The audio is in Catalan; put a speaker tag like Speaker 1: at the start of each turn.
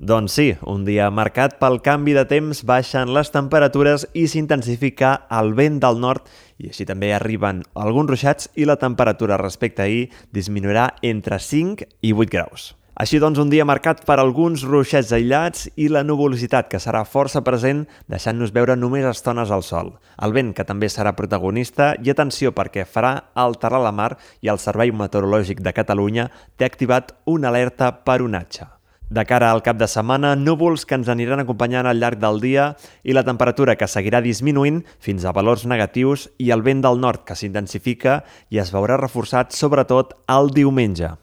Speaker 1: Doncs sí, un dia marcat pel canvi de temps, baixen les temperatures i s'intensifica el vent del nord i així també arriben alguns ruixats i la temperatura respecte a ahir disminuirà entre 5 i 8 graus. Així doncs, un dia marcat per alguns ruixats aïllats i la nuvolositat que serà força present, deixant-nos veure només estones al sol. El vent, que també serà protagonista, i atenció perquè farà alterar la mar i el Servei Meteorològic de Catalunya té activat una alerta per onatge. De cara al cap de setmana, núvols que ens aniran acompanyant al llarg del dia i la temperatura que seguirà disminuint fins a valors negatius i el vent del nord que s'intensifica i es veurà reforçat sobretot el diumenge.